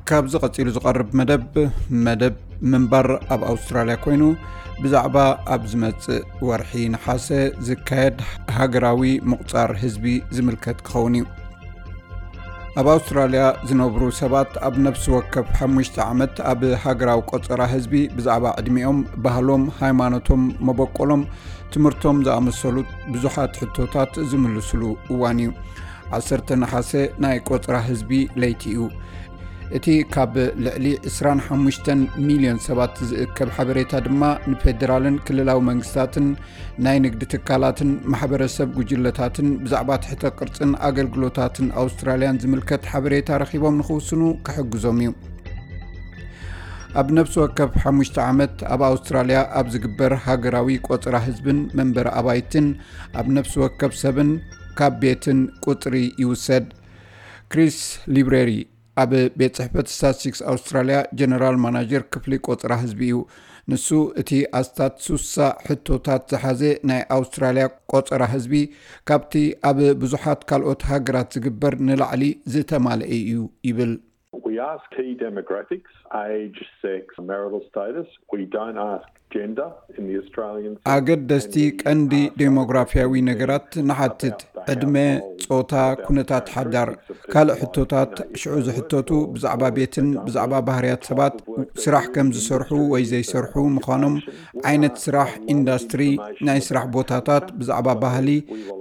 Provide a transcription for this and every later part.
ካብዚ ቀጺሉ ዝቐርብ መደብ፣ መደብ ምንባር ኣብ ኣውስትራልያ ኮይኑ፣ ብዛዕባ ኣብ ዝመጽእ ወርሒ ነሓሰ ዝካየድ ሃገራዊ ምቑጻር ህዝቢ ዝምልከት ክኸውን እዩ። ኣብ ኣውስትራልያ ዝነብሩ ሰባት ኣብ ነፍሲ ወከፍ ሓሙሽተ ዓመት ኣብ ሃገራዊ ቆጸራ ህዝቢ ብዛዕባ ዕድሚኦም፣ ባህሎም፣ ሃይማኖቶም፣ መበቆሎም፣ ትምህርቶም ዝኣመሰሉ ብዙሓት ሕቶታት ዝምልስሉ እዋን እዩ። ዓሰርተ ነሓሰ ናይ ቆጽራ ህዝቢ ለይቲ እዩ። እቲ ካብ ልዕሊ ዕስራን ሓሙሽተን ሚልዮን ሰባት ዝእከብ ሓበሬታ ድማ ንፌደራልን ክልላዊ መንግስታትን ናይ ንግዲ ትካላትን ማሕበረሰብ ጉጅለታትን ብዛዕባ ትሕተ ቅርጽን ኣገልግሎታትን ኣውስትራልያን ዝምልከት ሓበሬታ ረኺቦም ንኽውስኑ ክሕግዞም እዩ። ኣብ ነፍሲ ወከፍ ሓሙሽተ ዓመት ኣብ ኣውስትራልያ ኣብ ዝግበር ሃገራዊ ቆጽራ ህዝብን መንበሪ ኣባይትን ኣብ ነፍሲ ወከፍ ሰብን ካብ ቤትን ቁጽሪ ይውሰድ። ክሪስ ሊብሬሪ ኣብ ቤት ጽሕፈት ስታትስቲክስ ኣውስትራልያ ጀነራል ማናጀር ክፍሊ ቆጽራ ህዝቢ እዩ። ንሱ እቲ ኣስታት ሱሳ ሕቶታት ዝሓዘ ናይ ኣውስትራልያ ቆጸራ ህዝቢ ካብቲ ኣብ ብዙሓት ካልኦት ሃገራት ዝግበር ንላዕሊ ዝተማልአ እዩ ይብል። We ask key demographics, age, sex, marital status. We don't ask gender in the Australian system. ኣገደስቲ ቀንዲ ዴሞግራፊያዊ ነገራት ንሓትት፣ ዕድመ፣ ጾታ፣ ኩነታት ሓዳር። ካልእ ሕቶታት ሽዑ ዝሕተቱ ብዛዕባ ቤትን ብዛዕባ ባህርያት ሰባት፣ ስራሕ ከም ዝሰርሑ ወይ ዘይሰርሑ ምዃኖም፣ ዓይነት ስራሕ፣ ኢንዳስትሪ፣ ናይ ስራሕ ቦታታት፣ ብዛዕባ ባህሊ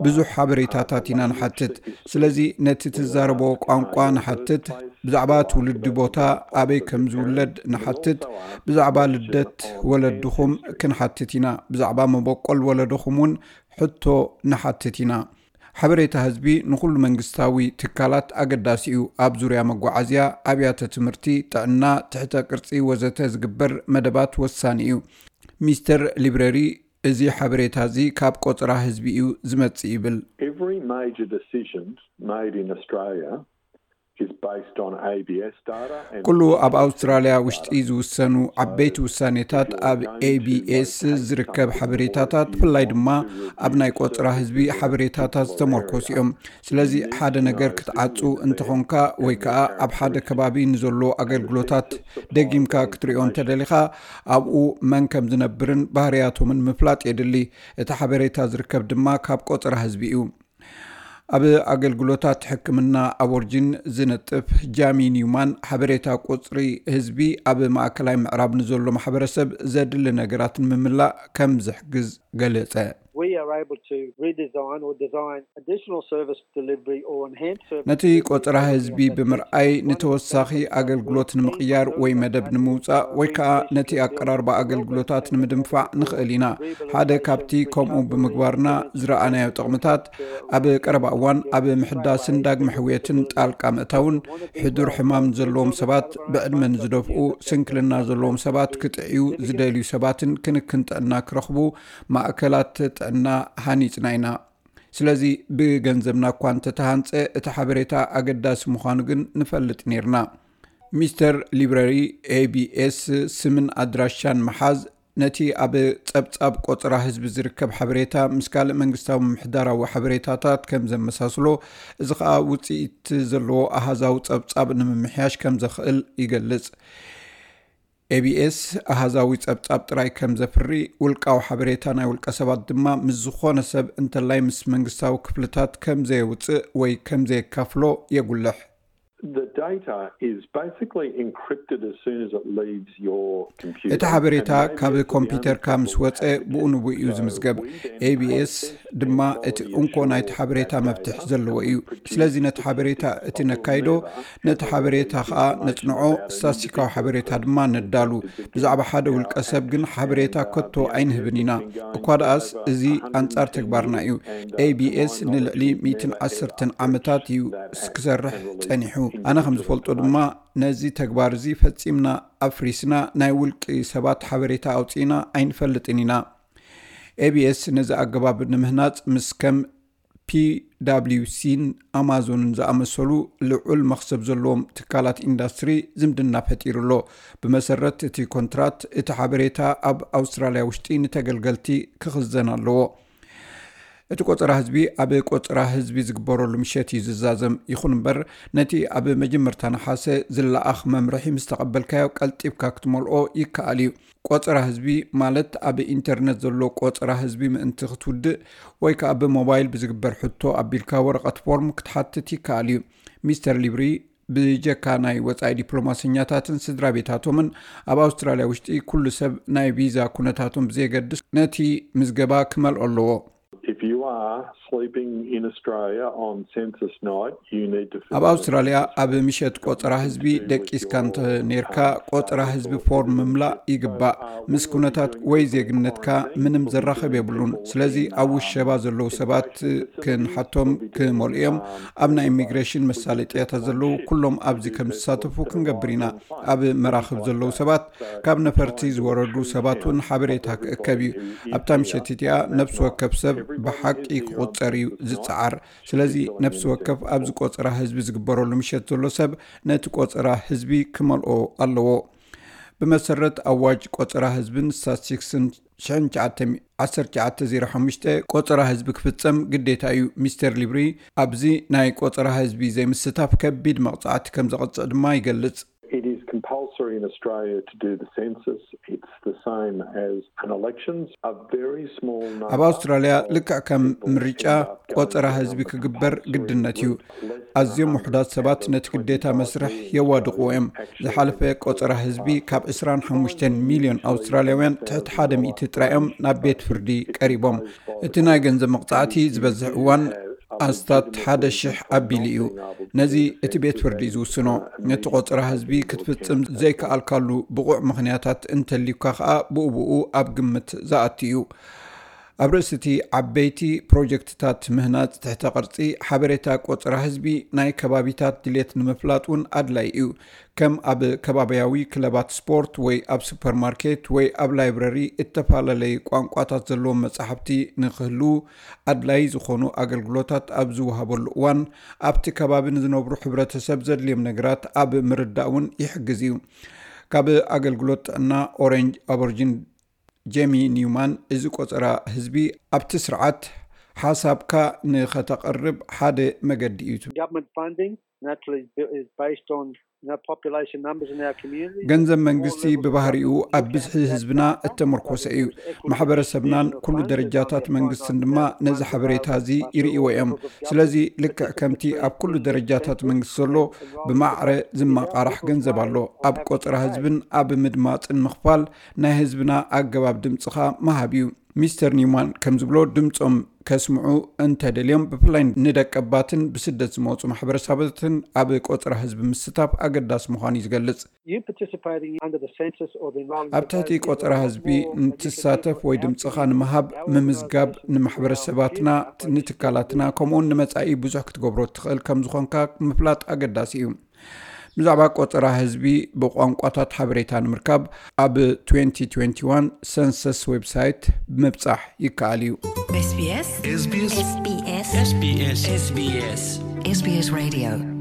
ብዙሕ ሓበሬታታት ኢና ንሓትት። ስለዚ ነቲ ትዛረቦ ቋንቋ ንሓትት፣ ብዛዕባ ትውልዲ ቦታ፣ ኣበይ ከም ዝውለድ ንሓትት፣ ብዛዕባ ልደት ወለድኹም ክንሓትት ኢና፣ ብዛዕባ መበቆል ወለድኹም እውን ሕቶ ንሓትት ኢና። ሓበሬታ ህዝቢ ንኹሉ መንግስታዊ ትካላት ኣገዳሲ እዩ። ኣብ ዙርያ መጓዓዝያ፣ ኣብያተ ትምህርቲ፣ ጥዕና፣ ትሕተ ቅርጺ ወዘተ ዝግበር መደባት ወሳኒ እዩ። ሚስተር ሊብረሪ እዚ ሓበሬታ እዚ ካብ ቆጽራ ህዝቢ እዩ ዝመጽእ ይብል። Every major decision made in Australia is based on A B S data and ኩሉ ኣብ ኣውስትራልያ ውሽጢ ዝውሰኑ ዓበይቲ ውሳኔታት ኣብ ኤቢኤስ ዝርከብ ሓበሬታታት፣ ብፍላይ ድማ ኣብ ናይ ቆጽራ ህዝቢ ሓበሬታታት ዝተመርኮሱ እዮም። ስለዚ ሓደ ነገር ክትዓጹ እንተኾንካ ወይ ከዓ ኣብ ሓደ ከባቢ ንዘሎ ኣገልግሎታት ደጊምካ ክትሪኦ እንተደሊኻ፣ ኣብኡ መን ከም ዝነብርን ባህርያቶምን ምፍላጥ የድሊ። እቲ ሓበሬታ ዝርከብ ድማ ካብ ቆጽራ ህዝቢ እዩ። ኣብ ኣገልግሎታት ሕክምና ኣቦርጂን ዝነጥፍ ጃሚ ኒውማን፣ ሓበሬታ ቁጽሪ ህዝቢ ኣብ ማእከላይ ምዕራብ ንዘሎ ማሕበረሰብ ዘድሊ ነገራት ንምምላእ ከም ዝሕግዝ ገለጸ። We are able to redesign or design additional service delivery or enhance service ነቲ ቆጽራ ህዝቢ ብምርኣይ፣ ንተወሳኺ ኣገልግሎት ንምቕያር ወይ መደብ ንምውጻእ ወይ ከኣ ነቲ ኣቀራርባ ኣገልግሎታት ንምድንፋዕ ንኽእል ኢና። ሓደ ካብቲ ከምኡ ብምግባርና ዝረኣናዮ ጥቕምታት፣ ኣብ ቀረባ እዋን ኣብ ምሕዳስን ዳግመ ሕውየትን ጣልቃ ምእታውን፣ ሕዱር ሕማም ዘለዎም ሰባት፣ ብዕድመ ንዝደፍኡ፣ ስንክልና ዘለዎም ሰባት፣ ክጥዕዩ ዝደልዩ ሰባትን ክንክን ጥዕና ክረኽቡ ማእከላት ጥዕና ሃኒጽና ኢና። ስለዚ ብገንዘብና እኳ እንተተሃንጸ፣ እቲ ሓበሬታ ኣገዳሲ ምዃኑ ግን ንፈልጥ ኔርና። ሚስተር ሊብረሪ፣ ኤቢኤስ ስምን ኣድራሻን ምሓዝ፣ ነቲ ኣብ ጸብጻብ ቆጽራ ህዝቢ ዝርከብ ሓበሬታ ምስ ካልእ መንግስታዊ ምምሕዳራዊ ሓበሬታታት ከም ዘመሳስሎ፣ እዚ ኸኣ ውጽኢት ዘለዎ ኣሃዛዊ ጸብጻብ ንምምሕያሽ ከም ዘኽእል ይገልጽ። ኤቢኤስ ኣሃዛዊ ጸብጻብ ጥራይ ከም ዘፍሪ፣ ውልቃዊ ሓበሬታ ናይ ውልቀ ሰባት ድማ ምስ ዝኾነ ሰብ፣ እንተላይ ምስ መንግስታዊ ክፍልታት፣ ከም ዘየውጽእ ወይ ከም ዘየካፍሎ የጉልሕ። The data is basically encrypted as soon as it leaves your computer. እቲ ሓበሬታ ካብ ኮምፒውተርካ ምስ ወጸ፣ ብኡ ንብኡ እዩ ዝምዝገብ። ኤቢኤስ ድማ እቲ እንኮ ናይቲ ሓበሬታ መፍትሕ ዘለዎ እዩ። ስለዚ ነቲ ሓበሬታ እቲ ነካይዶ፣ ነቲ ሓበሬታ ኸኣ ነጽንዖ፣ ስታስቲካዊ ሓበሬታ ድማ ነዳሉ። ብዛዕባ ሓደ ውልቀ ሰብ ግን ሓበሬታ ከቶ ኣይንህብን ኢና። እኳ ደኣስ እዚ ኣንጻር ተግባርና እዩ። ኤቢኤስ ንልዕሊ ሚእትን ዓሰርተን ዓመታት እዩ ክሰርሕ ጸኒሑ። ኣነ ከም ዝፈልጦ ድማ ነዚ ተግባር እዚ ፈጺምና ኣፍሪስና፣ ናይ ውልቂ ሰባት ሓበሬታ ኣውጺእና ኣይንፈልጥን ኢና። ኤቢኤስ ነዚ ኣገባብ ንምህናጽ ምስ ከም ፒዳብሊውሲን ኣማዞንን ዝኣመሰሉ ልዑል መኽሰብ ዘለዎም ትካላት ኢንዳስትሪ ዝምድና ፈጢሩ ኣሎ። ብመሰረት እቲ ኮንትራት፣ እቲ ሓበሬታ ኣብ ኣውስትራልያ ውሽጢ ንተገልገልቲ ክኽዘን ኣለዎ። እቲ ቆጸራ ህዝቢ ኣብ ቆጸራ ህዝቢ ዝግበረሉ ምሸት እዩ ዝዛዘም። ይኹን እምበር፣ ነቲ ኣብ መጀመርታ ነሓሰ ዝለኣኽ መምርሒ ምስ ተቐበልካዮ፣ ቀልጢፍካ ክትመልኦ ይከኣል እዩ። ቆጸራ ህዝቢ ማለት ኣብ ኢንተርነት ዘሎ ቆጸራ ህዝቢ ምእንቲ ክትውድእ ወይ ከኣ ብሞባይል ብዝግበር ሕቶ ኣቢልካ ወረቐት ፎርም ክትሓትት ይከኣል እዩ። ሚስተር ሊብሪ ብጀካ ናይ ወጻኢ ዲፕሎማሰኛታትን ስድራ ቤታቶምን፣ ኣብ ኣውስትራልያ ውሽጢ ኩሉ ሰብ ናይ ቪዛ ኩነታቶም ብዘየገድስ ነቲ ምዝገባ ክመልኦ ኣለዎ። If you are sleeping in Australia on census night, you need to fill ኣብ ኣውስትራልያ ኣብ ምሸት ቆጸራ ህዝቢ ደቂስካ እንተ ኔርካ፣ ቆጸራ ህዝቢ ፎርም ምምላእ ይግባእ። ምስ ኩነታት ወይ ዜግነትካ ምንም ዘራኸብ የብሉን። ስለዚ ኣብ ውሸባ ዘለዉ ሰባት ክንሓቶም ክመልኡ እዮም። ኣብ ናይ ኢሚግሬሽን መሳለጥያታት ዘለዉ ኩሎም ኣብዚ ከም ዝሳተፉ ክንገብር ኢና። ኣብ መራኽብ ዘለዉ ሰባት፣ ካብ ነፈርቲ ዝወረዱ ሰባት እውን ሓበሬታ ክእከብ እዩ። ኣብታ ምሸት እቲኣ ነፍሲ ወከፍ ሰብ ብሓቂ ክቑጸር እዩ ዝጸዓር። ስለዚ ነፍሲ ወከፍ ኣብዚ ቆጸራ ህዝቢ ዝግበረሉ ምሸት ዘሎ ሰብ ነቲ ቆጸራ ህዝቢ ክመልኦ ኣለዎ። ብመሰረት ኣዋጅ ቆጸራ ህዝብን ስታትስቲክስን ሽሕን ትሽዓተ ዓሰርተ ትሽዓተ ዜሮ ሓሙሽተ፣ ቆጸራ ህዝቢ ክፍጸም ግዴታ እዩ። ሚስተር ሊብሪ፣ ኣብዚ ናይ ቆጸራ ህዝቢ ዘይምስታፍ ከቢድ መቕጻዕቲ ከም ዘቕጽዕ ድማ ይገልጽ። It is compulsory in Australia to do the census. It's the same as an elections. A very small number ኣብ ኣውስትራልያ ልክዕ ከም ምርጫ ቆጸራ ህዝቢ ክግበር ግድነት እዩ። ኣዝዮም ውሑዳት ሰባት ነቲ ግዴታ መስርሕ የዋድቕዎ እዮም። ዝሓለፈ ቆጸራ ህዝቢ ካብ ዕስራን ሓሙሽተን ሚልዮን ኣውስትራልያውያን ትሕቲ ሓደ ሚእቲ ጥራይ እዮም ናብ ቤት ፍርዲ ቀሪቦም። እቲ ናይ ገንዘብ መቕጻዕቲ ዝበዝሕ እዋን ኣስታት ሓደ ሽሕ ኣቢሉ እዩ። ነዚ እቲ ቤት ፍርዲ እዩ ዝውስኖ። ነቲ ቆጸራ ህዝቢ ክትፍጽም ዘይከኣልካሉ ብቑዕ ምኽንያታት እንተልዩካ ከኣ ብኡ ብኡ ኣብ ግምት ዝኣቱ እዩ። ኣብ ርእሲ እቲ ዓበይቲ ፕሮጀክትታት ምህናጽ ትሕተ ቅርጺ ሓበሬታ ቆጸራ ህዝቢ ናይ ከባቢታት ድሌት ንምፍላጥ እውን ኣድላይ እዩ። ከም ኣብ ከባቢያዊ ክለባት ስፖርት ወይ ኣብ ሱፐርማርኬት ወይ ኣብ ላይብረሪ እተፈላለየ ቋንቋታት ዘለዎም መጻሕፍቲ ንክህልዉ ኣድላይ ዝኾኑ ኣገልግሎታት ኣብ ዝወሃበሉ እዋን ኣብቲ ከባቢ ንዝነብሩ ሕብረተሰብ ዘድልዮም ነገራት ኣብ ምርዳእ እውን ይሕግዝ እዩ። ካብ ኣገልግሎት ጥዕና ኦሬንጅ ኣቦርጂን ጄሚ ኒውማን፣ እዚ ቆጸራ ህዝቢ ኣብቲ ስርዓት ሓሳብካ ንኸተቐርብ ሓደ መገዲ እዩ። Government funding naturally is based on you know, population numbers in our community. ገንዘብ መንግስቲ ብባህሪኡ ኣብ ብዝሒ ህዝብና እተመርኮሰ እዩ። ማሕበረሰብናን ኩሉ ደረጃታት መንግስትን ድማ ነዚ ሓበሬታ እዚ ይርእይዎ እዮም። ስለዚ ልክዕ ከምቲ ኣብ ኩሉ ደረጃታት መንግስቲ ዘሎ ብማዕረ ዝመቓራሕ ገንዘብ ኣሎ። ኣብ ቆጸራ ህዝብን ኣብ ምድማፅን ምኽፋል ናይ ህዝብና ኣገባብ ድምፅኻ ምሃብ እዩ። ሚስተር ኒውማን ከም ዝብሎ፣ ድምፆም ከስምዑ እንተደልዮም፣ ብፍላይ ንደቀባትን ብስደት ዝመፁ ማሕበረሰባትን ኣብ ቆፀራ ህዝቢ ምስታፍ ኣገዳሲ ምዃኑ እዩ ዝገልፅ። You participating under the census or the enrolment ኣብ ትሕቲ ቆፀራ ህዝቢ ንትሳተፍ ወይ ድምፅኻ ንምሃብ ምምዝጋብ ንማሕበረሰባትና፣ ንትካላትና፣ ከምኡውን ንመፃኢ ብዙሕ ክትገብሮ ትኽእል ከም ዝኾንካ ምፍላጥ ኣገዳሲ እዩ። ብዛዕባ ቆፀራ ህዝቢ ብቋንቋታት ሓበሬታ ንምርካብ ኣብ twenty twenty-one ሰንሰስ ዌብሳይት ምብፃሕ ይከኣል እዩ። SBS SBS SBS SBS SBS SBS Radio